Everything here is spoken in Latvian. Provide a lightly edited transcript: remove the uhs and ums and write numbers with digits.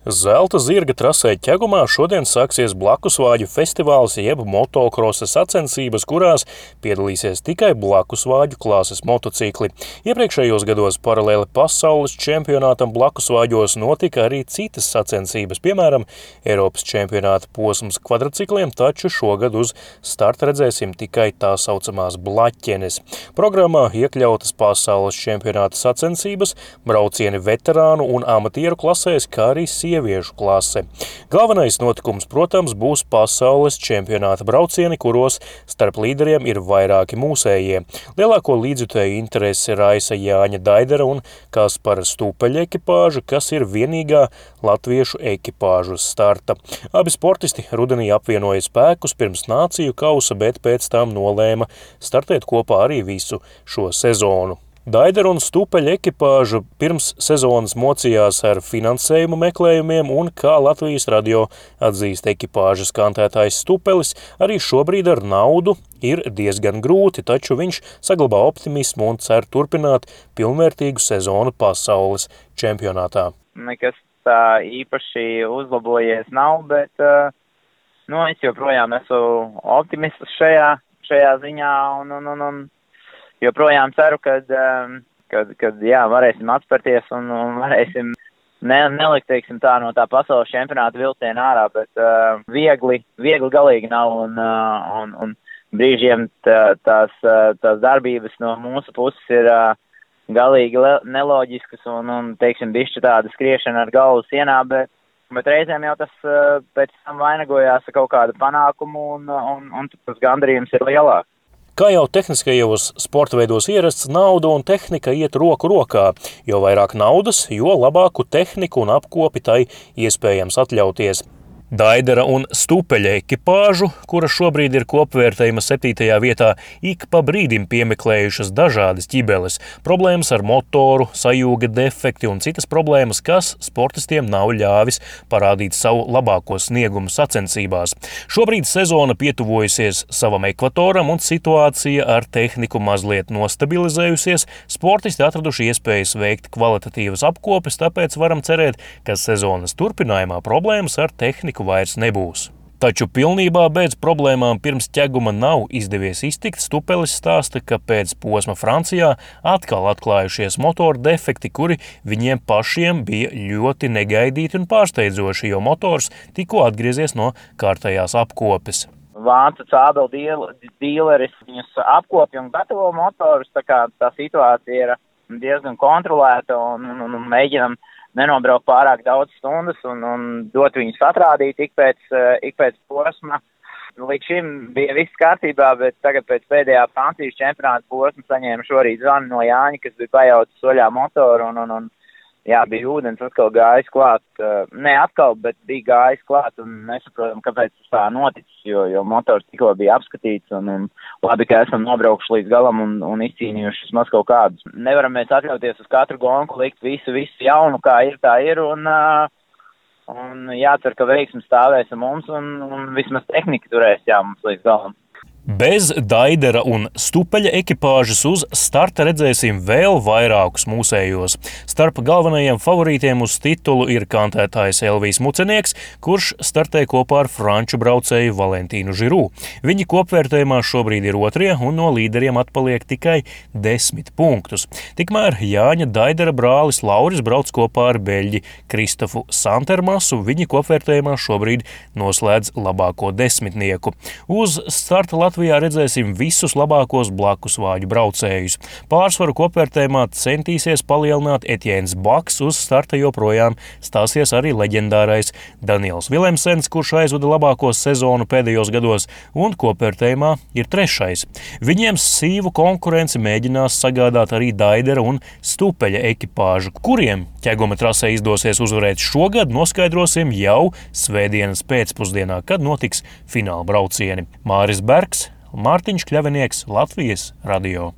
Zelta zirga trasē Ķegumā šodien sāksies blakusvāģu festivāls jeb motokrosa sacensības, kurās piedalīsies tikai blakusvāģu klāses motocikli. Iepriekšējos gados paralēli pasaules čempionātam blakusvāģos notika arī citas sacensības, piemēram, Eiropas čempionāta posms kvadricikliem, taču šogad uz starta redzēsim tikai tā saucamās blaķenes. Programmā iekļautas pasaules čempionāta sacensības, braucieni veterānu un amatieru klasēs, kā arī sieviešu klase. Galvenais notikums, protams, būs pasaules čempionāta braucieni, kuros starp līderiem ir vairāki mūsējie. Lielāko līdzjutēju interesi raisa Jāņa Daidera un Kaspara Stupeļa ekipāža, kas ir vienīgā latviešu ekipāžu uz starta. Abi sportisti rudenī apvienoja spēkus pirms nāciju kausa, bet pēc tam nolēma startēt kopā arī visu šo sezonu. Daidera un Stupeļa ekipāža pirms sezonas mocījās ar finansējumu meklējumiem un, kā Latvijas radio atzīst ekipāžas kantētājs Stupelis, arī šobrīd ar naudu ir diezgan grūti, taču viņš saglabā optimismu un cer turpināt pilnvērtīgu sezonu pasaules čempionātā. Nekas tā īpaši uzlabojies nav, bet es joprojām esmu optimists šajā ziņā un joprojām ceru, kad varēsim atspērties un varēsim nelikt, teiksim tā, no tā pasaules čempionāta vilciena ārā, bet viegli galīgi nav un brīžiem tās darbības no mūsu puses ir galīgi neloģiskas un teiksim, bišķi tāda skriešana ar galvu sienā, bet reizēm jau tas pēc tam vainagojās ar kaut kādu panākumu un tas gandarījums ir lielāks. Kā jau tehniskajos sporta veidos ierasts, nauda un tehnika iet roku rokā. Jo vairāk naudas, jo labāku tehniku un apkopi tai iespējams atļauties. Daidera un Stupeļa ekipāžu, kura šobrīd ir kopvērtējuma 7. vietā, ik pa brīdim piemeklējušas dažādas ķibeles, problēmas ar motoru, sajūga defekti un citas problēmas, kas sportistiem nav ļāvis parādīt savu labāko sniegumu sacensībās. Šobrīd sezona pietuvojusies savam ekvatoram un situācija ar tehniku mazliet nostabilizējusies, sportisti atraduši iespējas veikt kvalitatīvas apkopes, tāpēc varam cerēt, ka sezonas turpinājumā problēmas ar tehniku vairs nebūs. Taču pilnībā bez problēmām pirms Ķeguma nav izdevies iztikt. Stupelis stāsta, ka pēc posma Francijā atkal atklājušies motoru defekti, kuri viņiem pašiem bija ļoti negaidīti un pārsteidzoši, jo motors tikko atgriezies no kārtējās apkopes. Vācu cābeli dīleris viņus apkopja un gatavo motorus, tā kā tā situācija ir diezgan kontrolēta un mēģinam nenobraukt pārāk daudz stundas un dot viņus atrādīt ik pēc posma. Līdz šim bija viss kārtībā, bet tagad pēc pēdējā Francijas čempionāta posma saņēma šorīt zvanu no Jāņa, kas bija pajaucis soļā motoru un bija ūdens atkal gājis klāt. Ne atkal, bet bija gājis klāt un nesaprotam, kāpēc tas tā noticis, jo motors tikko bija apskatīts un labi, ka esam nobraukuši līdz galam un izcīnījuši vismaz kaut kādus. Nevaram mēs atļauties uz katru gonku likt visu jaunu, kā ir, tā ir un jācer, ka veiksmi stāvēs mums un vismaz tehnika turēs mums līdz galam. Bez Daidera un Stupeļa ekipāžas uz starta redzēsim vēl vairākus mūsējos. Starp galvenajiem favorītiem uz titulu ir kantētājs Elvijs Mucenieks, kurš startē kopā ar franču braucēju Valentīnu Žirū. Viņi kopvērtējumā šobrīd ir otrie un no līderiem atpaliek tikai 10 punktus. Tikmēr Jāņa Daidera brālis Lauris brauc kopā ar beļģi Kristofu Santermasu. Viņi kopvērtējumā šobrīd noslēdz labāko desmitnieku. Uz starta Latvijā redzēsim visus labākos blakusvāģu braucējus. Pārsvaru kopvērtējumā centīsies palielināt Etjēns Baks, uz starta joprojām stāsies arī leģendārais Daniels Vilemsens, kurš aizvada labāko sezonu pēdējos gados, un kopvērtējumā ir 3. Viņiem sīvu konkurenci mēģinās sagādāt arī Daidera un Stupeļa ekipāžu, kuriem Ķeguma trasē izdosies uzvarēt šogad, noskaidrosim jau svētdienas pēcpusdienā, kad notiks fināla braucieni. Māris Bergs, Mārtiņš Kļavinieks, Latvijas radio.